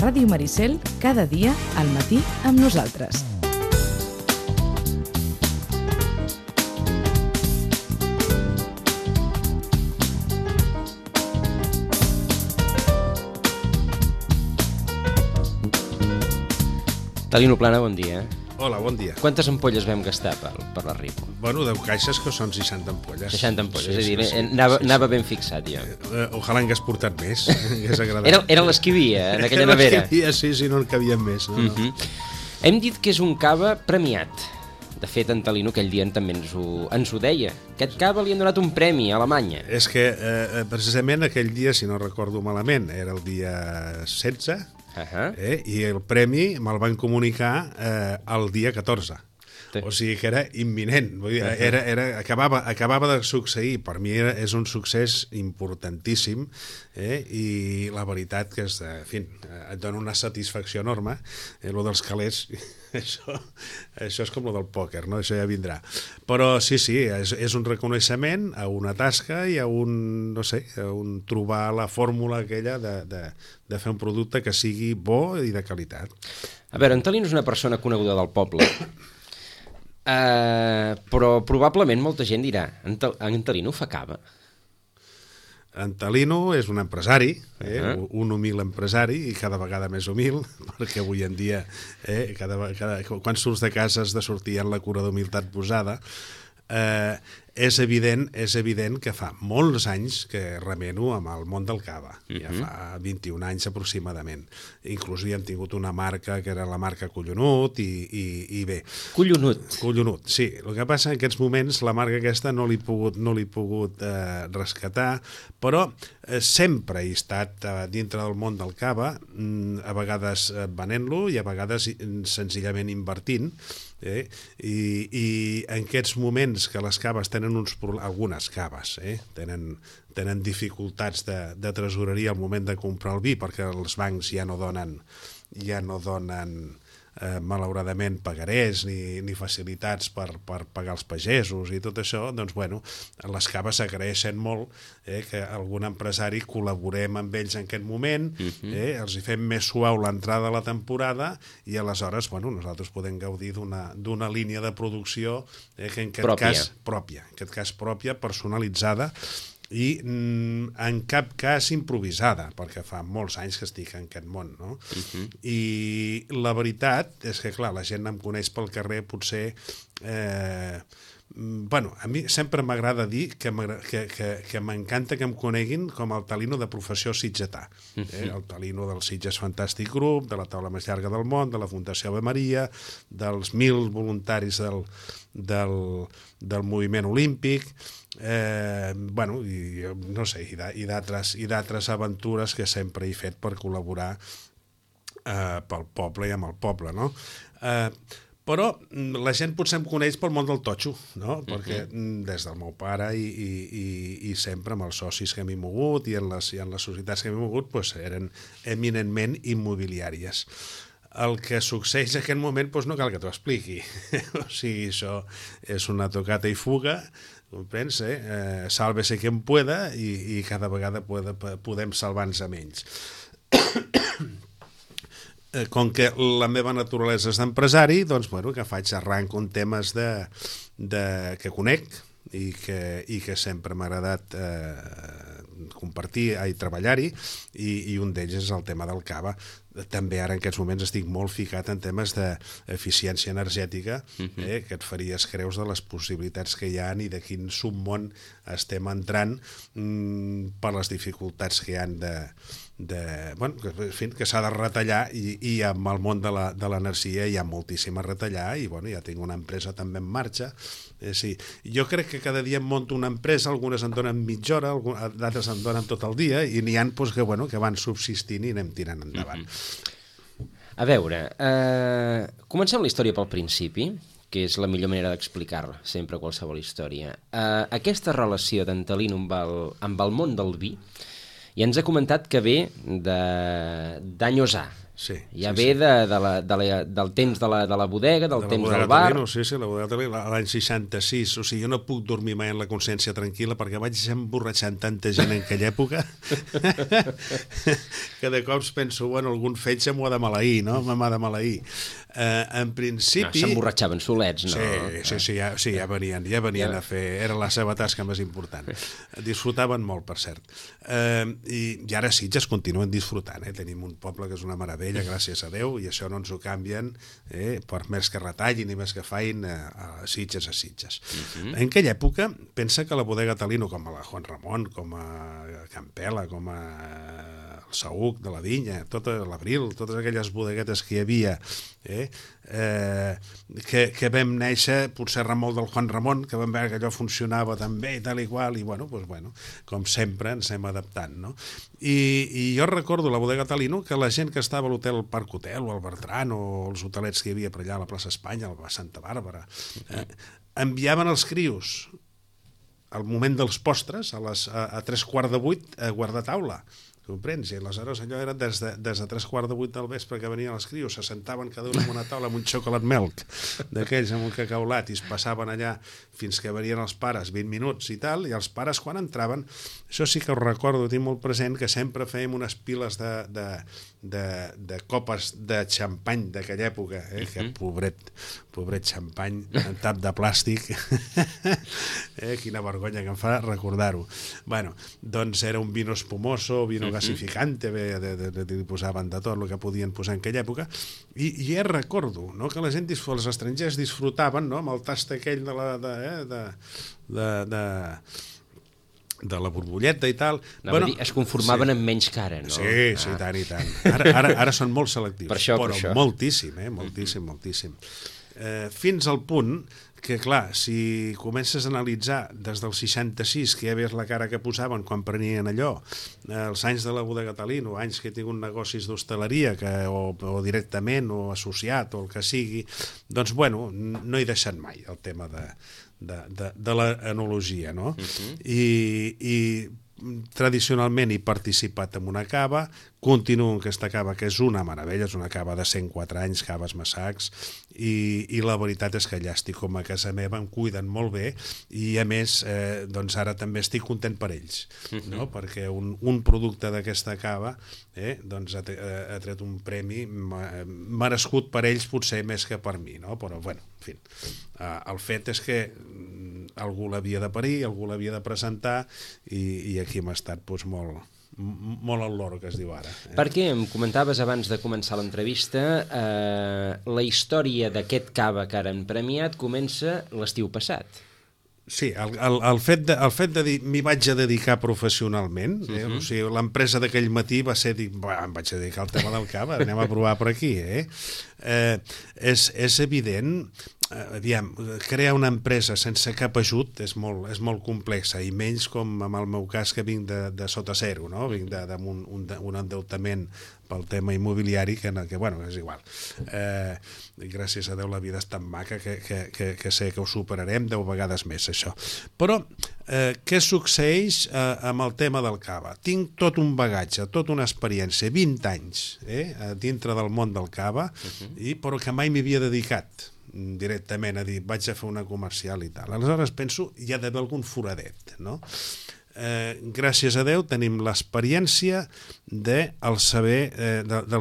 Ràdio Maricel, cada dia al matí amb nosaltres. Talino Plana, bon dia. Hola, bon dia. Quantes ampolles vam gastar per la Ripo? Bueno, 10 caixes que són 60 ampolles. 60 ampolles, és a dir, anava ben fixat, jo. Ojalà en hagués portat més, hagués agradat. Era les que hi havia, en aquella nevera. Era les que hi havia, sí, no en cabien més. No? Hem dit que és un cava premiat. De fet, en Talino aquell dia també ens ho deia. Aquest cava li han donat un premi a Alemanya. És que, precisament, aquell dia, si no recordo malament, era el dia 16, i el premi me'l van comunicar el dia 14. O sigui que era imminent, vull dir, acabava de succeir. Per mi és un succés importantíssim, i la veritat que et dona una satisfacció enorme. Lo dels calés, això és com lo del pòquer, no? Això ja vindrà. Però sí, és un reconeixement a una tasca i a trobar la fórmula aquella de fer un producte que sigui bo i de qualitat. A veure, en Talino és una persona coneguda del poble, però probablement molta gent dirà, en Talino fa cava. En Talino és un empresari, un humil empresari, i cada vegada més humil, perquè avui en dia, quan surts de casa has de sortir amb la cura d'humilitat posada. És evident que fa molts anys que remeno amb el món del cava, ja fa 21 anys aproximadament. Inclús hi hem tingut una marca que era la marca Collonut i bé. Collonut, sí. El que passa en aquests moments la marca aquesta no l'he pogut rescatar, però sempre he estat dintre del món del cava, a vegades venent-lo i a vegades senzillament invertint, i en aquests moments que les caves tenen algunes caves tenen dificultats de tresoreria al moment de comprar el vi, perquè els bancs ja no donen malauradament pagarés ni facilitats per pagar els pagesos i tot això. Doncs bueno, les caves agraeixen molt que algun empresari col·laborem amb ells en aquest moment, els hi fem més suau l'entrada a la temporada i aleshores nosaltres podem gaudir d'una línia de producció que en aquest cas pròpia, personalitzada, i en cap cas improvisada, perquè fa molts anys que estic en aquest món, no? I la veritat és que, clar, la gent em coneix pel carrer, potser... a mi sempre m'agrada dir que m'encanta que em coneguin com el Talino de professió sitgetà. El Talino del Sitges Fantàstic Grup, de la taula més llarga del món, de la Fundació Ave Maria, dels 1.000 voluntaris del moviment olímpic, i d'altres aventures que sempre he fet per col·laborar pel poble i amb el poble, no? Però la gent potser em coneix pel món del totxo, no? Perquè des del meu pare i sempre amb els socis que m'he mogut i en les societats que m'he mogut eren eminentment immobiliàries. El que succeeix en aquest moment no cal que t'ho expliqui. O sigui, això és una tocata i fuga, comprens? Sálvese quien pueda i cada vegada podem salvar-nos a menys. Com que la meva naturalesa és d'empresari, doncs, que faig arranco en temes que conec i que sempre m'ha agradat compartir i treballar-hi, i un d'ells és el tema del cava. També ara en aquests moments estic molt ficat en temes d'eficiència energètica, que et faries creus de les possibilitats que hi ha i de quin submón estem entrant per les dificultats que hi ha que s'ha de retallar, i amb el món de l'energia hi ha moltíssim a retallar, i ja tinc una empresa també en marxa. Jo crec que cada dia em monto una empresa, algunes en donen mitja hora, d'altres en donen tot el dia, i n'hi ha que van subsistint i anem tirant endavant. A veure, comencem la història pel principi, que és la millor manera d'explicar sempre qualsevol història. Aquesta relació d'en Talino amb el món del vi, i ens ha comentat que ve d'Anyosà, Ja ve del temps de la bodega, del temps del bar... Sí, la bodega Talino, l'any 66. O sigui, jo no puc dormir mai en la consciència tranquil·la perquè vaig emborratxant tanta gent en aquella època que de cops penso, bueno, algun fetge m'ho ha de maleir, no? M'ha de maleir. En principi... S'emborratxaven solets, no? Sí, ja venien a fer... Era la seva tasca més important. Disfrutaven molt, per cert. I ara Sitges continuen disfrutant. Tenim un poble que és una meravella, gràcies a Déu, i això no ens ho canvien per més que retallin i més que fain a Sitges a Sitges. En aquella època, pensa que la bodega Talino, com a la Juan Ramon, com a Campela, com a el Saüc de la Vinya, l'Abril, totes aquelles bodeguetes que hi havia, que vam néixer, potser remol del Juan Ramon, que vam veure que allò funcionava tan bé i tal i qual, i bueno, com sempre ens hem adaptant, no? I jo recordo la bodega Talino que la gent que estava a l'hotel Parc Hotel o al Bertran o els hotelets que hi havia per allà a la plaça Espanya, a Santa Bàrbara, enviaven els crios al moment dels postres, a 7:45, a guardar taula. Comprens? I aleshores allò era des de 7:45 del vespre que venien els crios, se sentaven cada un en una taula amb un xocolate milk d'aquells amb un cacaulat i es passaven allà fins que venien els pares 20 minuts i tal, i els pares quan entraven, això sí que ho recordo, tinc molt present, que sempre fèiem unes piles de copes de xampany d'aquella època, que pobret xampany en tap de plàstic quina vergonya que em fa recordar-ho. Bueno, doncs era un vino espumoso, vino gasificante, li posaven de tot el que podien posar en aquella època, i ja recordo que la gent, els estrangers disfrutaven amb el tast aquell de la borbolleta i tal. Es conformaven amb menys cara, no? Sí, tant i tant. Ara són molt selectius, però moltíssim, moltíssim. Fins al punt que, clar, si comences a analitzar des del 66, que ja veus la cara que posaven quan prenien allò, els anys de la bodega Talino, anys que he tingut negocis d'hostaleria o directament o associat o el que sigui, doncs, bueno, no he deixat mai el tema de l'enologia, no? I tradicionalment he participat en una cava, continuo en aquesta cava, que és una meravella, és una cava de 104 anys, Caves Massacs, i la veritat és que allà estic com a casa meva, em cuiden molt bé, i a més, doncs ara també estic content per ells, no? Perquè un producte d'aquesta cava doncs ha tret un premi merescut per ells, potser més que per mi, no? Però, bueno, en fi, el fet és que algú l'havia de parir, algú l'havia de presentar, i aquí hem estat doncs, molt al loro, que es diu ara. Perquè em comentaves abans de començar l'entrevista, la història d'aquest cava que ara han premiat comença l'estiu passat. Sí, el fet de dir m'hi vaig a dedicar professionalment, o sigui, l'empresa d'aquell matí va ser dir, em vaig a dedicar al tema del cava, anem a provar per aquí, és evident, aviam, crear una empresa sense cap ajut és molt complexa, i menys com en el meu cas, que vinc de sota zero, no? Vinc d'un endeutament pel tema immobiliari que bueno, és igual. Gràcies a Déu la vida és tan maca que sé que ho superarem 10 vegades més, això. Però què succeeix amb el tema del cava? Tinc tot un bagatge, tota una experiència, 20 anys dintre del món del cava, però que mai m'hi havia dedicat directament a dir vaig a fer una comercial i tal. Aleshores penso, hi ha d'haver algun foradet, no? Gràcies a Déu tenim l'experiència del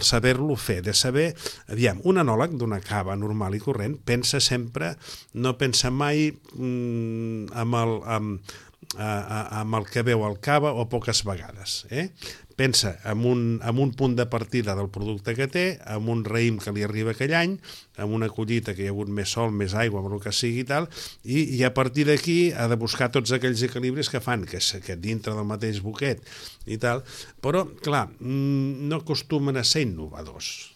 saber-lo fer, de saber, aviam, un enòleg d'una cava normal i corrent no pensa mai amb el que veu el cava, o poques vegades, pensa en un punt de partida del producte que té, amb un raïm que li arriba aquell any, amb una collita que hi ha hagut més sol, més aigua, amb el que sigui i tal, i a partir d'aquí ha de buscar tots aquells equilibris que fan que dintre del mateix boquet i tal, però clar, no acostumen a ser innovadors,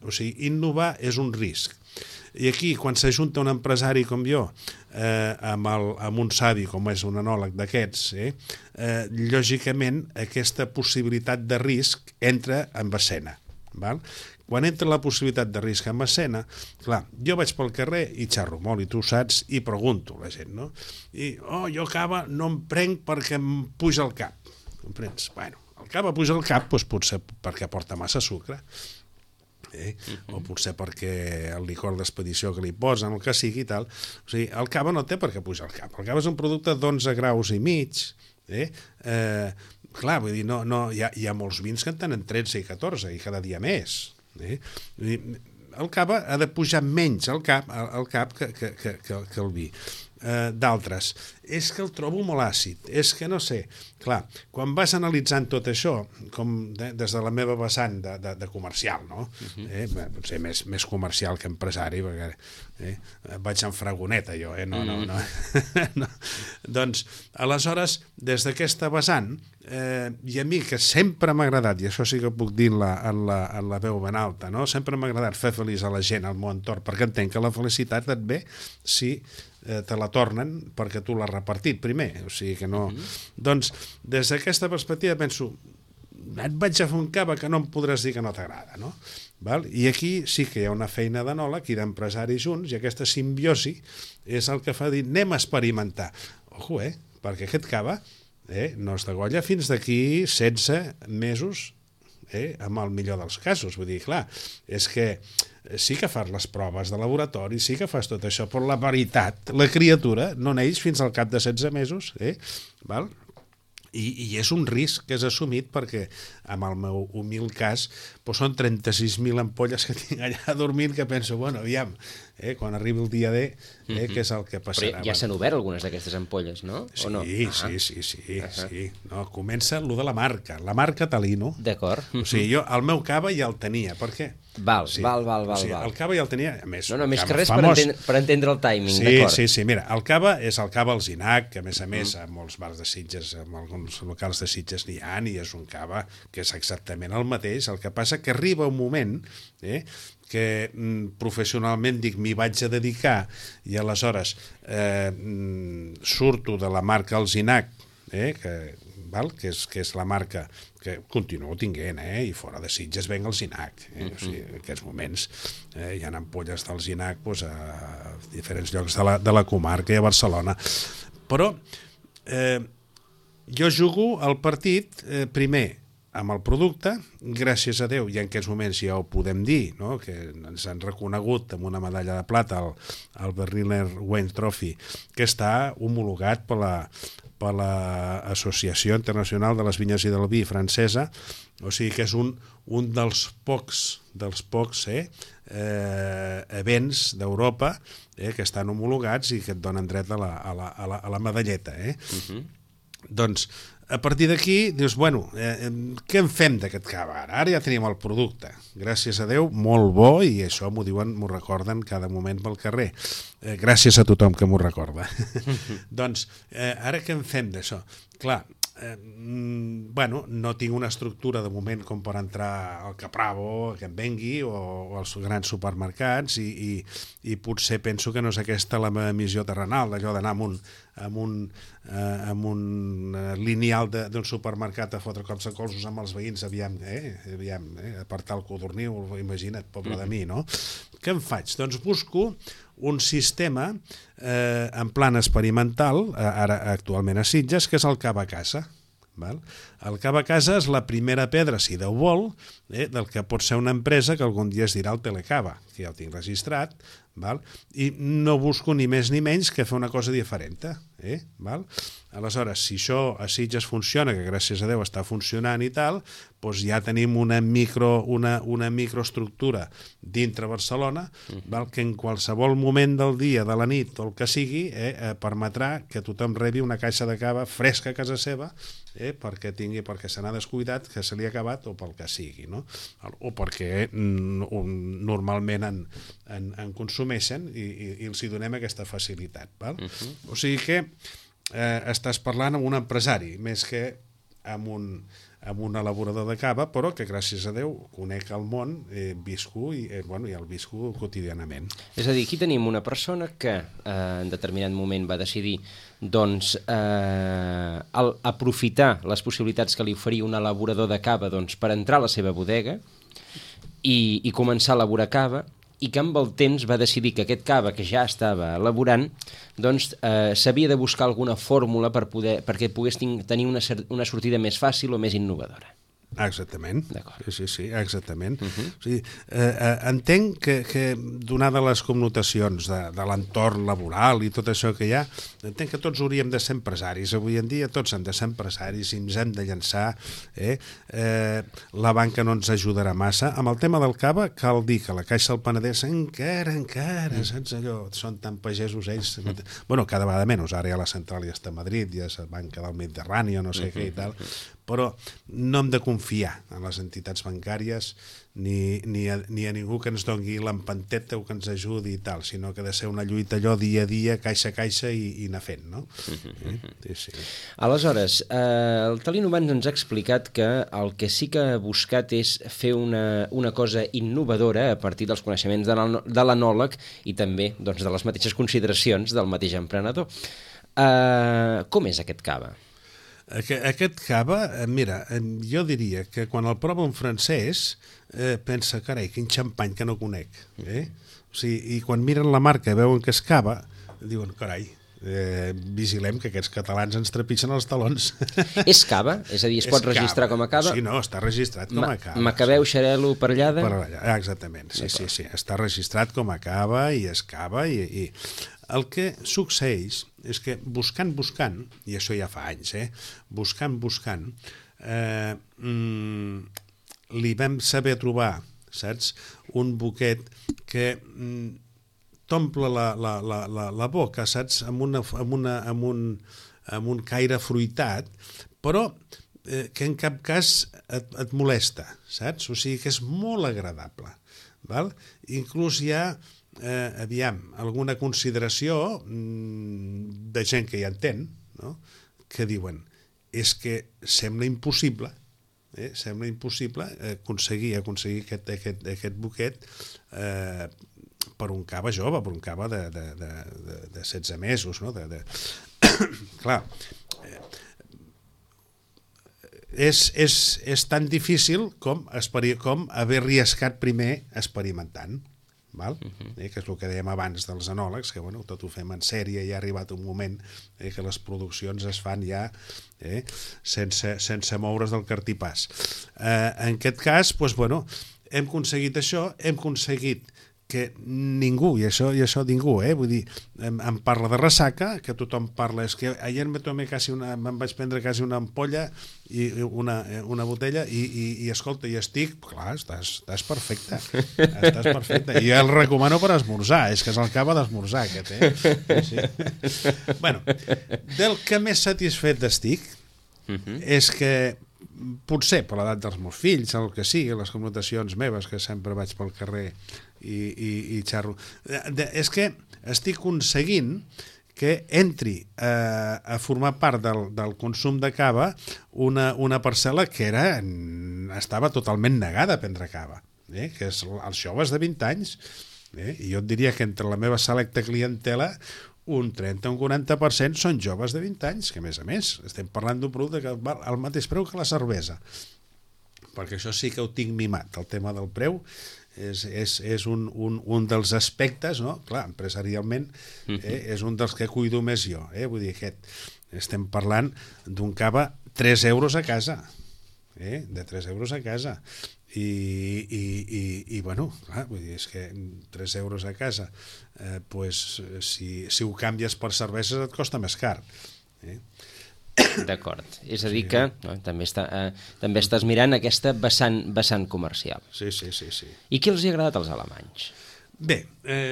o sigui, innovar és un risc. I aquí, quan s'ajunta un empresari com jo amb un savi com és un enòleg d'aquests, lògicament aquesta possibilitat de risc entra en escena. Quan entra la possibilitat de risc en escena, clar, jo vaig pel carrer i xerro molt, i tu saps, i pregunto a la gent, no? I, jo cava no em prenc perquè em puja el cap. Comprens? Bueno, el cava puja el cap, doncs potser perquè porta massa sucre. o potser perquè el licor d'expedició que li posen, el que sigui i tal. O sigui, el cava no té per què pujar el cava. El cava és un producte d'11 graus i mig, clar, vull dir, hi ha molts vins que en tenen 13 i 14 i cada dia més. El cava ha de pujar menys al cap que el vi. D'altres, és que el trobo molt àcid, és que no sé, clar, quan vas analitzant tot això, com des de la meva vessant de comercial, no? Potser més comercial que empresari, perquè vaig en fragoneta jo, no. Doncs, aleshores, des d'aquesta vessant, i a mi que sempre m'ha agradat, i això sí que puc dir en la veu ben alta, no? Sempre m'ha agradat fer feliç a la gent, al meu entorn, perquè entenc que la felicitat et ve si te la tornen perquè tu l'has repartit primer, o sigui que no... Doncs, des d'aquesta perspectiva penso, et vaig a fer un cava que no em podràs dir que no t'agrada, no? Val? I aquí sí que hi ha una feina d'enòleg i d'empresaris junts, i aquesta simbiosi és el que fa dir, anem a experimentar. Ojo, perquè aquest cava no es degolla fins d'aquí 16 mesos, amb el millor dels casos. Vull dir, clar, és que sí que fas les proves de laboratori, sí que fas tot això, però la veritat, la criatura no neix fins al cap de 16 mesos, val? I és un risc que és assumit perquè, en el meu humil cas, són 36.000 ampolles que tinc allà dormint que penso, bueno, aviam, quan arribi el dia D, què és el que passarà. Però ja s'han obert algunes d'aquestes ampolles, no? Sí, o no? Sí. No, comença el de la marca Talino. D'acord. O sigui, jo el meu cava ja el tenia, per què? Val. O sigui, el cava ja el tenia, a més... No, més que res per entendre el timing, d'acord. Sí, mira, el cava és el cava Alzinac, que a més, a molts bars de Sitges, en alguns locals de Sitges n'hi ha, i és un cava que és exactament el mateix, el que passa que arriba un moment que professionalment dic m'hi vaig a dedicar i aleshores surto de la marca Alzinac, que és la marca que continuo tinguent, i fora de Sitges venc Alzinac. O sigui, en aquests moments hi ha ampolles d'Alzinac a diferents llocs de la comarca i a Barcelona. Però jo jugo el partit primer amb el producte, gràcies a Déu, i en aquests moments ja ho podem dir, no? Que ens han reconegut amb una medalla de plata el Berliner Wein Trophy, que està homologat per l'Associació Internacional de les Vinyes i del Vi francesa, o sigui que és un dels pocs events d'Europa que estan homologats i que et donen dret a la medalleta. Doncs, a partir d'aquí, dius, bueno, què en fem d'aquest cava? Ara ja tenim el producte. Gràcies a Déu, molt bo, i això m'ho recorden cada moment pel carrer. Gràcies a tothom que m'ho recorda. Doncs, ara què en fem d'això? Clar, no tinc una estructura de moment com per entrar al Capravo, que em vengui, o als grans supermercats, i potser penso que no és aquesta la meva missió terrenal, d'allò d'anar amb un lineal d'un supermercat a fotre cops de colzos amb els veïns, aviam, apartar el codorniu, imagina't, pobre de mi, no? Què en faig? Doncs busco un sistema en plan experimental, ara actualment a Sitges, que és el cava a casa. El cava a casa és la primera pedra, si Déu vol, del que pot ser una empresa que algun dia es dirà el Telecava, que ja ho tinc registrat, i no busco ni més ni menys que fer una cosa diferent. Aleshores, si això a Sitges funciona, que gràcies a Déu està funcionant i tal, doncs ja tenim una microestructura dintre Barcelona, que en qualsevol moment del dia, de la nit o el que sigui, permetrà que tothom rebi una caixa de cava fresca a casa seva, perquè se n'ha descuidat, que se li ha acabat, o pel que sigui, no? O perquè normalment en consumeixen i els hi donem aquesta facilitat. O sigui que estàs parlant amb un empresari més que amb un elaborador de cava, però que gràcies a Déu conec el món, visco i el visco quotidianament. És a dir, aquí tenim una persona que en determinat moment va decidir aprofitar les possibilitats que li oferia un elaborador de cava per entrar a la seva bodega i començar a elaborar cava, i que amb el temps va decidir que aquest cava que ja estava elaborant s'havia de buscar alguna fórmula perquè pogués tenir una sortida més fàcil o més innovadora. Exactament. D'acord. Sí, exactament. O sigui, entenc que donada les connotacions de l'entorn laboral i tot això que hi ha, entenc que tots hauríem de ser empresaris. Avui en dia tots hem de ser empresaris i ens hem de llançar. La banca no ens ajudarà massa. Amb el tema del cava, cal dir que la Caixa del Penedès encara, saps allò? Són tan pagesos ells. Bueno, cada vegada menys. Ara ja la central ja està a Madrid, ja és la banca del Mediterrani o no sé què i tal, però no hem de confiar en les entitats bancàries ni a ningú que ens doni l'empanteta o que ens ajudi i tal, sinó que ha de ser una lluita allò dia a dia, caixa a caixa i anar fent, no? Sí. Aleshores, el Talino abans ens ha explicat que el que sí que ha buscat és fer una cosa innovadora a partir dels coneixements de l'anòleg i també doncs, de les mateixes consideracions del mateix emprenedor. Com és aquest cava? Aquest cava, mira, jo diria que quan el prova un francès pensa, carai, quin xampany que no conec. O sigui, i quan miren la marca i veuen que és cava, diuen, carai, vigilem que aquests catalans ens trepitgen els talons. És cava? És a dir, es pot registrar com a cava? Sí, no, està registrat com a cava. Macabeu, Xarel·lo, Parellada? Exactament, sí. Està registrat com a cava i és cava i el que succeeix és que buscant, i això ja fa anys, buscant, li vam saber trobar, saps, un buquet que t'omple la boca, saps, amb un caire fruitat, però que en cap cas et molesta, saps? O sigui que és molt agradable. Val? Inclús hi ha alguna consideració de gent que ja entén, no? Que diuen, és que sembla impossible aconseguir aquest buquet per un cava jove, per un cava de 16 mesos, no? Clar, és tan difícil com haver arriscat primer experimentant. Val? Que és el que dèiem abans dels anòlegs, que bueno, tot ho fem en sèrie i ha arribat un moment que les produccions es fan ja sense moure's del cartipàs. En aquest cas, doncs, bueno, hem aconseguit això, hem aconseguit que ningú, i això ningú, vull dir, em parla de ressaca, que tothom parla, és que ahir me'n vaig prendre quasi una ampolla i una botella i escolta, i estic, clar, estàs perfecte, i el recomano per esmorzar, és que és el cava d'esmorzar aquest, sí. Bueno, del que més satisfet estic és que potser per l'edat dels meus fills, el que sigui, les connotacions meves, que sempre vaig pel carrer i xarro, és que estic aconseguint que entri a formar part del consum de cava una parcel·la que estava totalment negada a prendre cava, que és els joves de 20 anys, i jo et diria que entre la meva selecta clientela un 30 o un 40% són joves de 20 anys, que a més estem parlant d'un producte que val al mateix preu que la cervesa, perquè això sí que ho tinc mimat, el tema del preu és un dels aspectes, no? Clar, empresarialment és un dels que cuido més jo, vull dir, estem parlant d'un cava 3 euros a casa, de 3 euros a casa, i bueno, clar, vull dir, és que 3 euros a casa, pues, si ho canvies per cerveses et costa més car. D'acord, és a dir que també estàs mirant aquesta vessant comercial. Sí. I què els ha agradat als alemanys? Bé,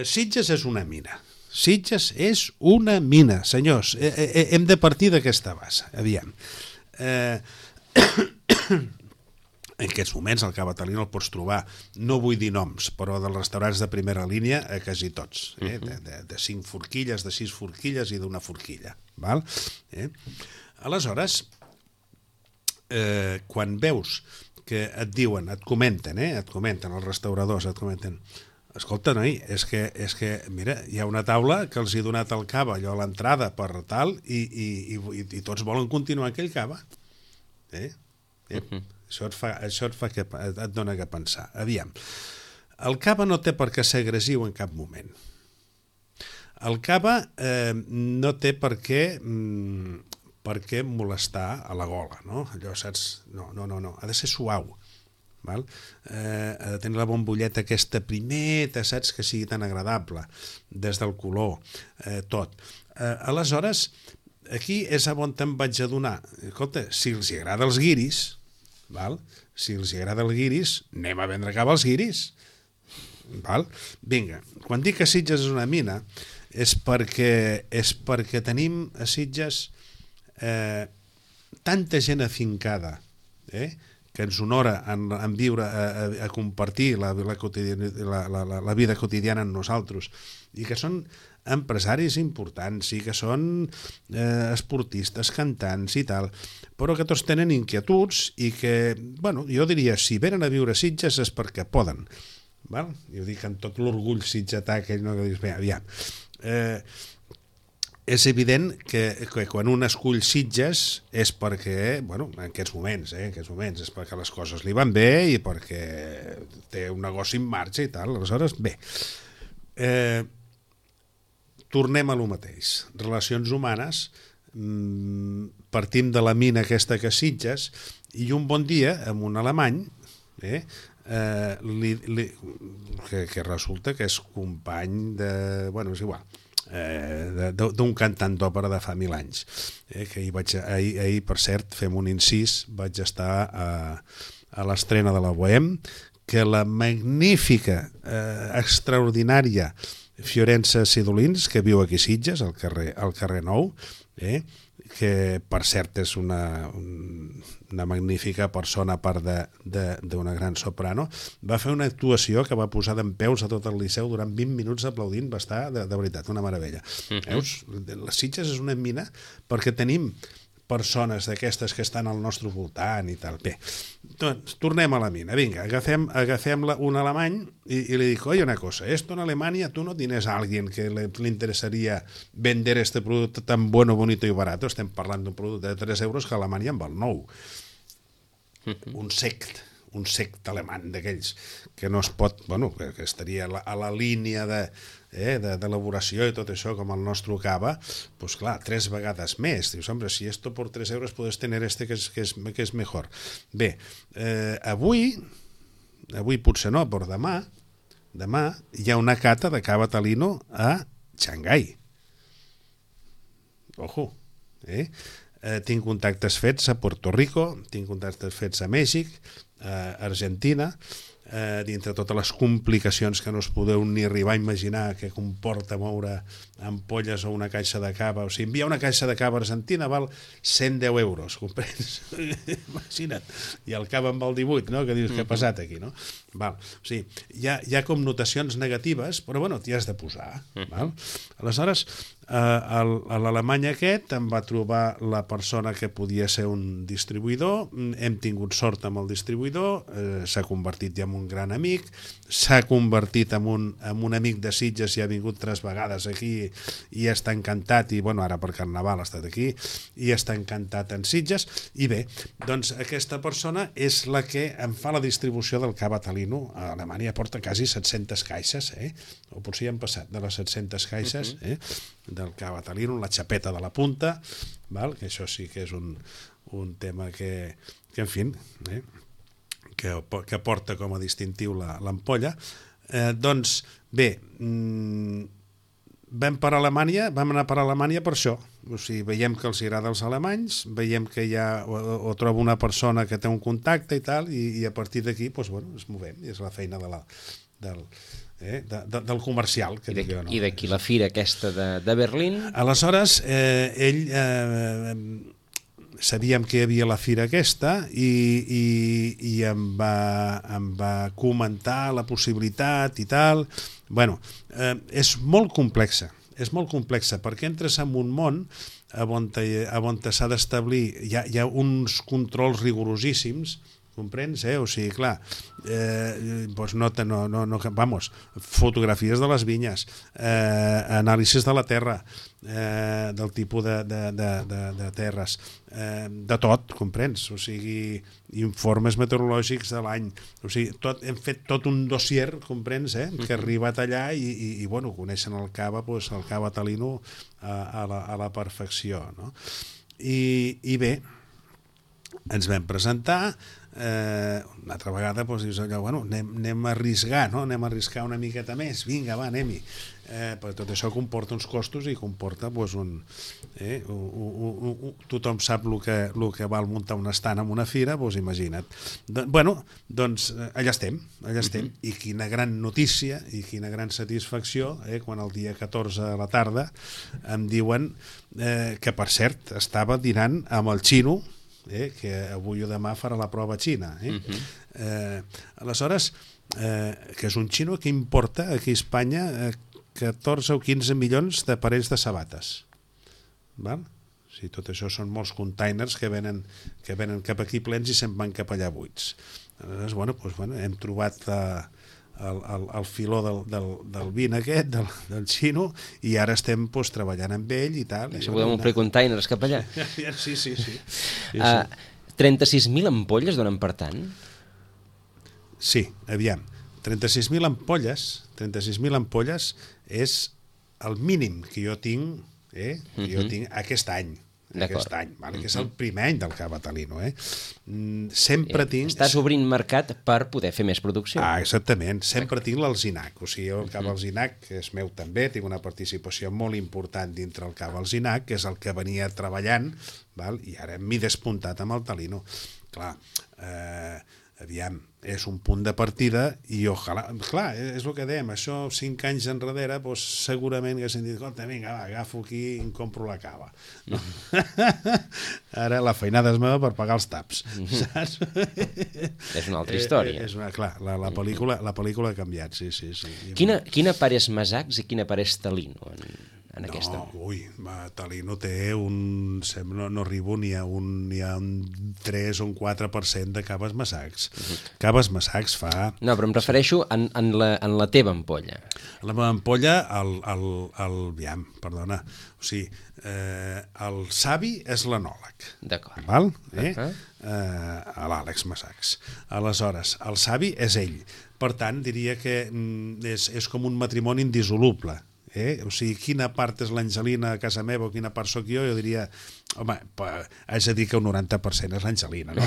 Sitges és una mina. Sitges és una mina, senyors. Hem de partir d'aquesta base. Aviam. En aquests moments el cava Talino el pots trobar, no vull dir noms, però dels restaurants de primera línia a quasi tots, de 5 forquilles, de 6 forquilles i d'una forquilla. Val? Aleshores, quan veus que et diuen, et comenten els restauradors, et comenten, escolta, noi, és que mira, hi ha una taula que els he donat el cava allò a l'entrada per tal i tots volen continuar aquell cava. Això et dona que pensar. Aviam, el cava no té per què ser agressiu en cap moment. El cava no té per què perquè molestar a la gola, no? Allò, saps? No, ha de ser suau. Val? Ha de tenir la bombolleta aquesta primeta, saps, que sigui tan agradable, des del color, tot. Aleshores, aquí és on em vaig adonar. Escolta, si els agrada els guiris, val? Si els agrada el guiris, anem a vendre cava als guiris. Val? Vinga, quan dic que Sitges és una mina, és perquè tenim a Sitges tanta gent afincada, que ens honora en viure, a compartir la vida quotidiana amb nosaltres, i que són empresaris importants, i que són esportistes, cantants i tal, però que tots tenen inquietuds i que, bueno, jo diria, si venen a viure a Sitges és perquè poden. Val? Jo dic amb tot l'orgull sitgetà, aquell no, que dius, bé, aviam. És evident que quan un escull Sitges és perquè, bueno, en aquests moments, és perquè les coses li van bé i perquè té un negoci en marxa i tal. Aleshores, bé, tornem a lo mateix. Relacions humanes, partim de la mina aquesta que és Sitges, i un bon dia, amb un alemany, que resulta que és company de... Bueno, és igual, d'un cantant d'òpera de fa 1000 anys, que ahir, per cert, fem un incís, vaig estar a l'estrena de la Bohème, que la magnífica, extraordinària Fiorenza Sidolins, que viu aquí a Sitges, al carrer Nou, que per cert és una magnífica persona, a part d'una gran soprano, va fer una actuació que va posar dempeus a tot el Liceu durant 20 minuts aplaudint, va estar de veritat una meravella. Veus? Les Sitges és una mina perquè tenim persones d'aquestes que estan al nostre voltant i tal. Bé, doncs, tornem a la mina. Vinga, agafem un alemany y le digo, oye, una cosa, esto en Alemania tú no tienes a alguien que le interesaría vender este producto tan bueno, bonito y barato. Estem parlant d'un producte de 3 euros que a Alemanya en val 9. Un sect alemany d'aquells que no es pot, bueno, que estaria a la línia d'elaboració i tot això com el nostre cava, doncs clar, 3 vegades més. Dius, hombre, si esto por 3 euros puedes tener este que es mejor. Bé, avui potser no, però demà hi ha una cata de cava Talino a Xangai. Ojo, tinc contactes fets a Puerto Rico, tinc contactes fets a Mèxic, a Argentina, dintre totes les complicacions que no us podeu ni arribar a imaginar que comporta moure ampolles o una caixa de cava. O sigui, enviar una caixa de cava a Argentina val 110 euros, comprens? Imagina't. I el cava en val 18, no? Que dius, què ha passat aquí, no? Val. O sigui, hi ha connotacions negatives, però bueno, t'hi has de posar. Val? Aleshores, a l'alemany aquest em va trobar la persona que podia ser un distribuïdor, hem tingut sort amb el distribuïdor, s'ha convertit ja en un gran amic, s'ha convertit en un amic de Sitges i ha vingut 3 vegades aquí i està encantat, i bueno, ara per Carnaval ha estat aquí, i està encantat en Sitges, i bé, doncs aquesta persona és la que em fa la distribució del cava Talino. A Alemanya porta quasi 700 caixes, o potser ja han passat de les 700 caixes, del cava Talino, la xapeta de la punta, val? Que això sí que és un tema que en fi, que porta com a distintiu l'ampolla. Doncs bé, vam anar per Alemanya per això. O sigui, veiem que els agrada als alemanys, veiem que ja o trobo una persona que té un contacte i tal, i a partir d'aquí doncs, bueno, ens movem, i és la feina del comercial, que dic jo, no? I d'aquí la fira aquesta de Berlín. Aleshores, ell sabíem que hi havia la fira aquesta i em va comentar la possibilitat i tal. Bueno, és molt complexa, perquè entres en un món on s'ha d'establir, hi ha uns controls rigorosíssims, comprens? O sigui, clar, fotografies de les vinyes, anàlisis de la terra, del tipus de terres, de tot, comprens? O sigui, informes meteorològics de l'any, o sigui, hem fet tot un dossier, comprens, que ha arribat allà i bueno, coneixen el cava Talino a la perfecció, no? I bé, ens vam presentar, una altra vegada doncs, dius allò, bueno, anem a arriscar, no? Anem a arriscar una miqueta més, vinga, va, anem-hi. Però tot això comporta uns costos i comporta doncs, tothom sap el que val muntar un estand en una fira, doncs imagina't. Doncs allà estem. I quina gran notícia i quina gran satisfacció quan el dia 14 a la tarda em diuen que, per cert, estava dinant amb el xino, que avui o demà farà la prova xina. Aleshores, que és un xino que importa aquí a Espanya 14 o 15 milions de parells de sabates. Val? O sigui, tot això són molts containers que venen cap aquí plens i se'n van cap allà buits. Aleshores, hem trobat el filó del vin aquest, del xino, i ara estem treballant amb ell i tal. Si podem omplir containers cap allà. Sí. 36.000 ampolles donen per tant? Sí, aviam. 36.000 ampolles és el mínim que jo tinc, aquest any. Que és el primer any del Cava Talino. Sempre tinc... Estàs obrint mercat per poder fer més producció. Exactament. Sempre tinc l'Alzinac. O sigui, el Cava Alzinac, que és meu també, tinc una participació molt important dintre el Cava Alzinac, que és el que venia treballant, i ara m'he despuntat amb el Talino. Clar, aviam, és un punt de partida i ojalà, clar, és el que dèiem, això 5 anys enrere, doncs segurament haguessin dit, vinga, va, agafo aquí i em compro la cava. No? Ara la feinada és meva per pagar els taps, saps? És una altra història. Clar, la pel·lícula ha canviat, sí. Quina part és Masacs i quina part és Talino en aquesta? Talino té no arribo ni a un 3 o un 4% de caves Masacs. Caves Masacs fa... No, però em refereixo en la teva ampolla. La meva ampolla, perdona, o sigui, el savi és l'anòleg. D'acord. Val? L'Àlex Masacs. Aleshores, el savi és ell. Per tant, diria que és com un matrimoni indissoluble. O sigui, quina part és l'Angelina a casa meva o quina part sóc jo diria, home, haig de dir que un 90% és l'Angelina, no?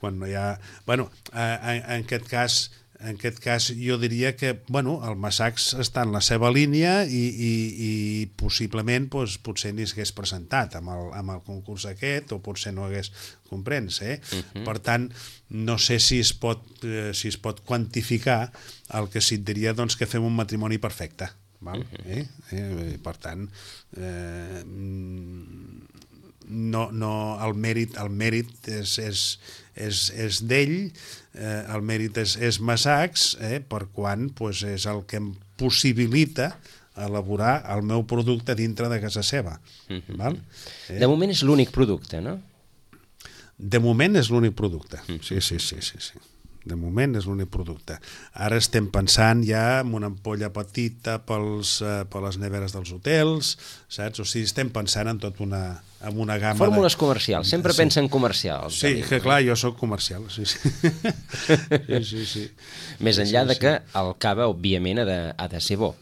Quan no hi ha... Bueno, en aquest cas jo diria que el Masacs està en la seva línia i possiblement potser ni s'hagués presentat amb el concurs aquest o potser no hagués, comprens? Per tant, no sé si es pot quantificar el que sí et diria que fem un matrimoni perfecte. Per tant, el mèrit és d'ell, el mèrit és Masacs, per quan és el que em possibilita elaborar el meu producte dintre de casa seva. De moment és l'únic producte, no? De moment és l'únic producte, sí. De moment és l'únic producte. Ara estem pensant ja en una ampolla petita per les neveres dels hotels, saps? O sigui, estem pensant en tot en una gamma... Fórmules comercials, sempre pensa en comercials. Sí, que clar, jo sóc comercial, sí. Més enllà de que el cava, òbviament, ha de ser bo.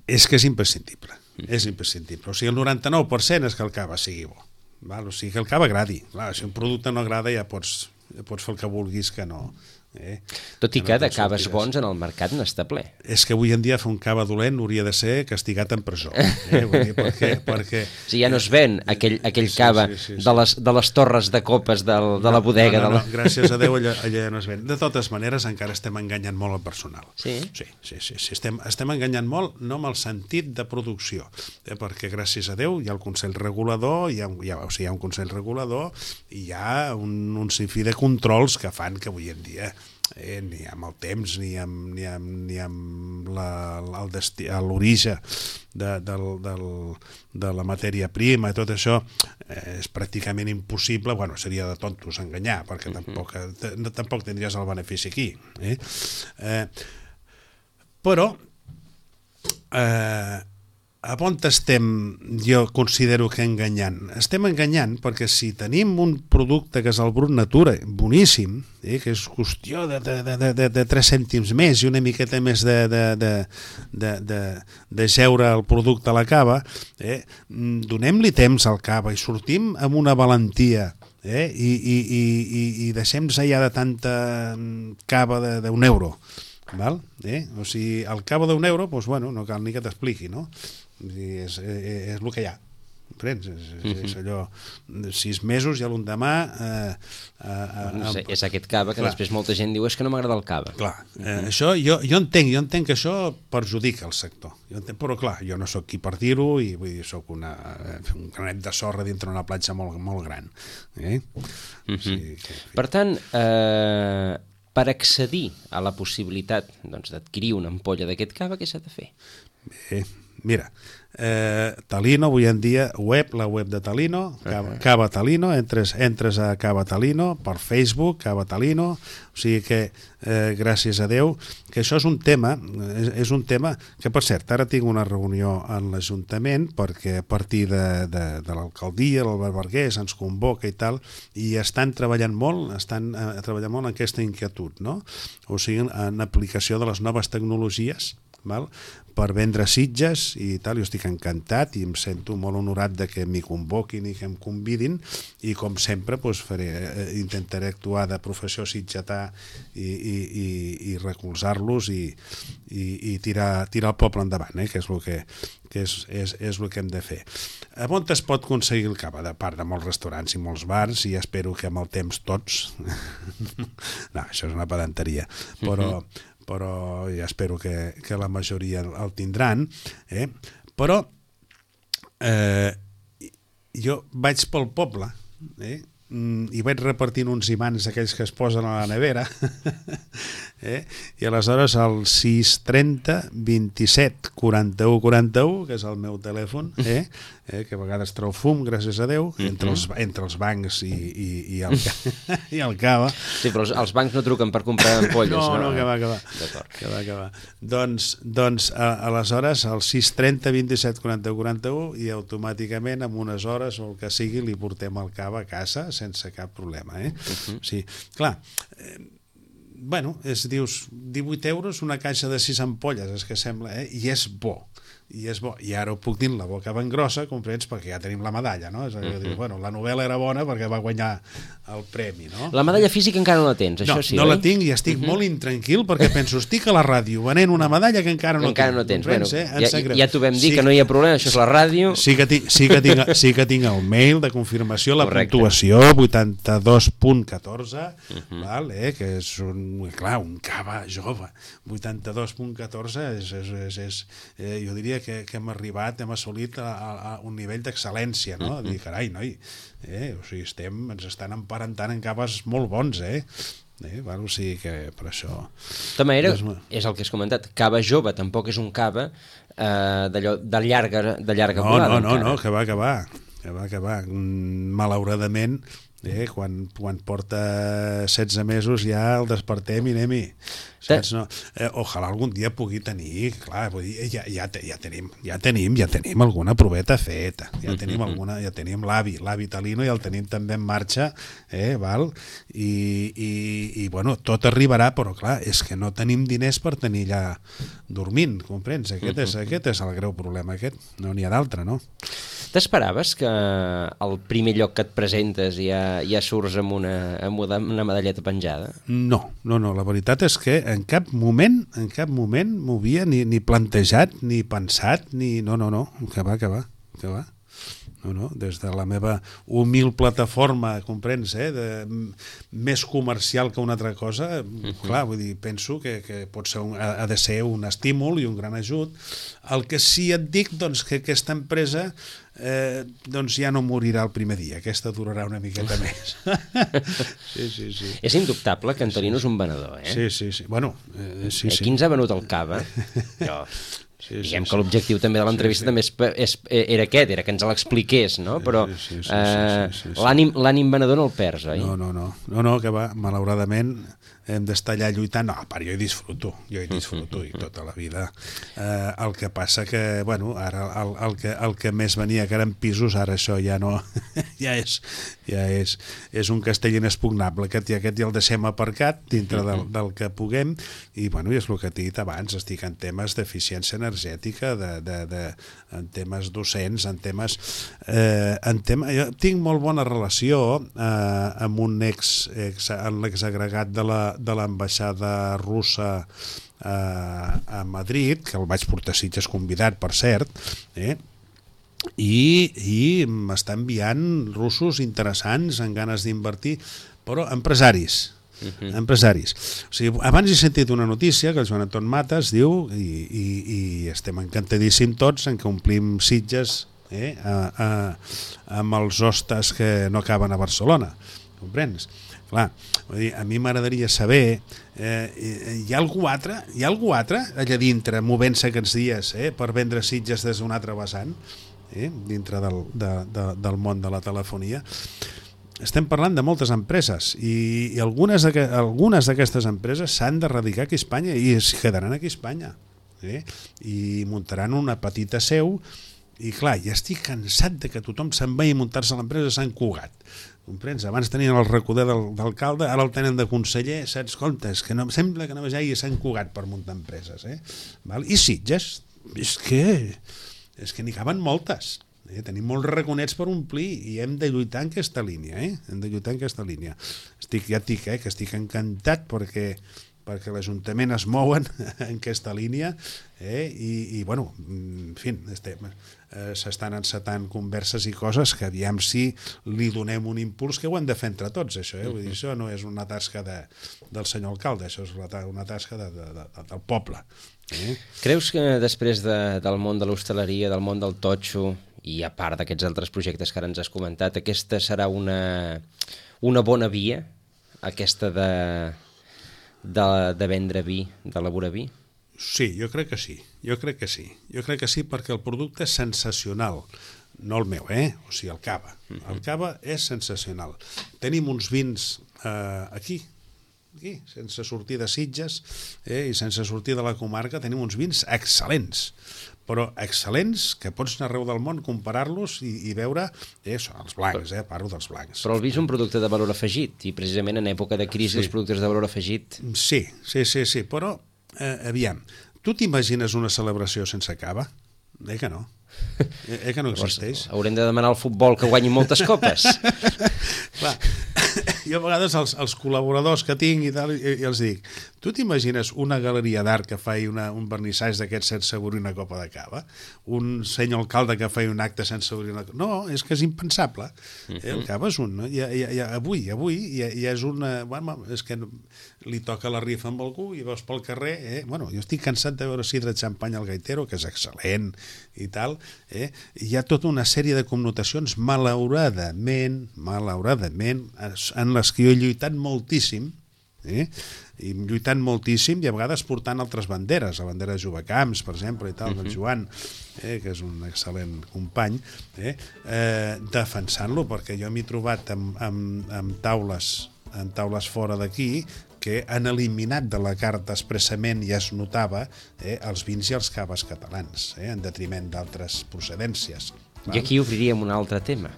És que és imprescindible. O sigui, el 99% és que el cava sigui bo. O sigui, que el cava agradi. Si un producte no agrada ja pots fer el que vulguis que no... Tot i que de caves bons en el mercat n'està ple. És que avui en dia fer un cava dolent hauria de ser castigat en presó. Perquè... Si ja no es ven aquell cava de les torres de copes de la bodega. No, gràcies a Déu allà no es ven. De totes maneres encara estem enganyant molt el personal. Sí? Sí. Estem enganyant molt, no amb el sentit de producció, perquè gràcies a Déu hi ha el Consell Regulador, hi ha un Consell Regulador i hi ha un sinfí de controls que fan que avui en dia ni amb el temps ni amb l'origen de la matèria prima i tot això és pràcticament impossible. Seria de tontos enganyar perquè tampoc tindries el benefici aquí, però a on estem, jo considero que enganyant? Estem enganyant perquè si tenim un producte que és el Brut Natura, boníssim, que és qüestió de 3 cèntims més i una miqueta més de geure el producte a la cava, donem-li temps al cava i sortim amb una valentia, i deixem-nos ja de tanta cava d'1 euro. Val? O sigui, el cabo d'1 euro, doncs, bueno, no cal ni que t'expliqui, no? És el que hi ha. És allò, 6 mesos i a l'endemà... És aquest cava que després molta gent diu és que no m'agrada el cava. Clar, això jo entenc que això perjudica el sector, però clar, jo no sóc qui per dir-ho i vull dir, sóc un granet de sorra dintre una platja molt, molt gran. Per tant, per accedir a la possibilitat d'adquirir una ampolla d'aquest cava, què s'ha de fer? Bé, mira, Talino, avui en dia, la web de Talino, Cava Talino, entres a Cava Talino per Facebook, Cava Talino, o sigui que, gràcies a Déu, que això és un tema que, per cert, ara tinc una reunió en l'Ajuntament perquè a partir de l'alcaldia, l'Albert Bargués, ens convoca i tal, i estan treballant molt en aquesta inquietud, no? O sigui, en aplicació de les noves tecnologies, val? Per vendre sitges i tal, jo estic encantat i em sento molt honorat de que m'hi convoquin i que em convidin i com sempre doncs, intentaré actuar de professor sitgetà i recolzar-los i tirar el poble endavant, que és el que hem de fer. On es pot aconseguir el cava? De part de molts restaurants i molts bars i espero que amb el temps tots no, això és una pedanteria, però ja espero que la majoria el tindran, però jo vaig pel poble i vaig repartint uns imants aquells que es posen a la nevera i aleshores el 630 27 41 41, que és el meu telèfon, que a vegades treu fum, gràcies a Déu, entre els bancs i el cava. Sí, però els bancs no truquen per comprar ampolles. No, que va. Doncs aleshores el 630 27 41 41 i automàticament en unes hores o el que sigui li portem el cava a casa sense cap problema. O sigui, clar, bueno, dius 18 euros una caixa de 6 ampolles, és que sembla, i és bo. I ara ho puc dir en la boca ben grossa, comprens, perquè ja tenim la medalla, no? És a dir, bueno, la novel·la era bona perquè va guanyar el premi, no? La medalla física encara no la tens, això sí, no la tinc i estic molt intranquil perquè penso, estic a la ràdio venent una medalla que encara no tens. Bueno, ja t'ho vam dir, que no hi ha problema, això és la ràdio. Sí que tinc el mail de confirmació, la puntuació 82.14, que és un cava jove. 82.14 jo diria que hem assolit a un nivell d'excel·lència, no? Dir, carai, noi, o sigui, ens estan emparentant en caves molt bons, o sigui que per això... De tota manera, és el que has comentat, cava jove tampoc és un cava de llarga volada. No, que va. Malauradament, quan porta 16 mesos ja el despertem i anem-hi. Ojalà algun dia pugui tenir, clar, vull dir, ja tenim alguna proveta feta, ja tenim l'avi Talino i el tenim també en marxa, val? I bueno, tot arribarà, però clar, és que no tenim diners per tenir allà dormint, comprens? Aquest és el greu problema, no n'hi ha d'altre, no? T'esperaves que al primer lloc que et presentes ja surts amb una medalleta penjada? No, la veritat és que en cap moment m'ho havia ni plantejat, ni pensat, ni... No, que va. No, des de la meva humil plataforma, comprens, més comercial que una altra cosa, clar, vull dir, penso que pot ser ha de ser un estímul i un gran ajut. El que sí et dic, doncs, que aquesta empresa doncs ja no morirà el primer dia, aquesta durarà una miqueta més. Sí. És indubtable que en Talino és un venedor, Sí. Bueno, sí. Qui ens ha venut el cava? Jo... Diguem que l'objectiu també de l'entrevista també era aquest, era que ens l'expliqués, no? Però l'ànim venedor no el perds, oi? No, que va, malauradament hem d'estar allà lluitant. No, a part, jo hi disfruto i tota la vida. El que passa que, bueno, ara el que més venia, que eren pisos, ara això ja no... ja és un castell inexpugnable. Aquest ja el deixem aparcat dintre del que puguem, i, bueno, és el que t'he dit abans, estic en temes d'eficiència energètica, en temes docents, jo tinc molt bona relació amb un l'exagregat de l'ambaixada russa a Madrid, que el vaig portar a Sitges convidat, per cert, i m'està enviant russos interessants, amb ganes d'invertir, però empresaris. O sigui, abans he sentit una notícia que el Joan Anton Matas diu, i estem encantadíssims tots en que omplim Sitges amb els hostes que no acaben a Barcelona, comprens? Clar, a mi m'agradaria saber, hi ha algú altre allà dintre movent-se aquests dies per vendre Sitges des d'un altre vessant, dintre del món de la telefonia. Estem parlant de moltes empreses i algunes d'aquestes empreses s'han de radicar aquí a Espanya i es quedaran aquí a Espanya, i muntaran una petita seu. I clar, ja estic cansat de que tothom se'n vagi a muntar-se a l'empresa a Sant Cugat. Comprens? Abans tenien el recoder d'alcalde, ara el tenen de conseller, saps? Compte, és que sembla que només hi hagi Sant Cugat per muntar empreses. I Sitges, és que n'hi caben moltes. Tenim molts raconets per omplir i hem de lluitar en aquesta línia. Ja et dic que estic encantat perquè l'Ajuntament es mouen en aquesta línia, i bueno, en fi, s'estan encetant converses i coses que aviam si li donem un impuls, que ho hem de fer entre tots, això. Vull dir, això no és una tasca del senyor alcalde, això és una tasca del poble. Creus que després del món de l'hostaleria, del món del totxo, i a part d'aquests altres projectes que ara ens has comentat, aquesta serà una bona via, aquesta de vendre vi, d'elaborar vi? Sí, jo crec que sí. Jo crec que sí perquè el producte és sensacional. No el meu, o sigui, el cava. El cava és sensacional. Tenim uns vins aquí, sense sortir de Sitges i sense sortir de la comarca, tenim uns vins excel·lents, però excel·lents, que pots anar arreu del món, comparar-los i veure, els blancs, parlo dels blancs. Però el vi és un producte de valor afegit, i precisament en època de crisi els productes de valor afegit... Sí, però, aviam, tu t'imagines una celebració sense cava? Que no. Que no existeix. Haurem de demanar al futbol que guanyi moltes copes. Clar, jo a vegades els col·laboradors que tinc i tal, i els dic, tu t'imagines una galeria d'art que faci un vernissatge d'aquests sense obrir una copa de cava? Un senyor alcalde que faci un acte sense obrir una copa? No, és que és impensable. El cava és un... Avui ja és una... És que li toca la rifa amb algú i veus pel carrer... Jo estic cansat de veure sidra de xampany al gaitero, que és excel·lent i tal. Hi ha tota una sèrie de connotacions malauradament en les que jo he lluitat moltíssim, i lluitant moltíssim, i a vegades portant altres banderes, la bandera de Jovecamps, per exemple, i tal, del Joan, que és un excel·lent company, defensant-lo, perquè jo m'he trobat amb taules fora d'aquí que han eliminat de la carta expressament, ja es notava, els vins i els caves catalans, en detriment d'altres procedències. I aquí obriríem un altre tema.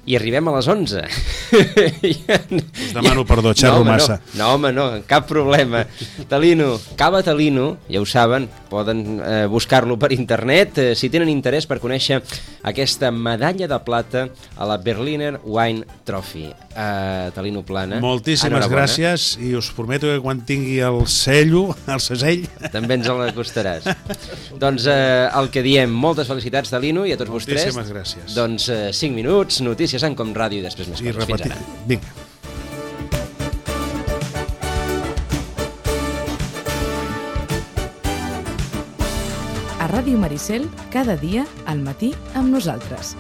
I arribem a les 11. Us demano perdó, xerro massa. No, home, no, cap problema. Talino, Cava Talino, ja ho saben, poden buscar-lo per internet si tenen interès per conèixer aquesta medalla de plata a la Berliner Wine Trophy. Talino Plana, moltíssimes gràcies, i us prometo que quan tingui el segell... també ens l'acostaràs. Doncs el que diem, moltes felicitats, Talino, i a tots vostès. Moltíssimes gràcies. Doncs 5 minuts, notícies en Com Ràdio i després més coses. Fins ara. Vinga. A Ràdio Maricel, cada dia al matí amb nosaltres.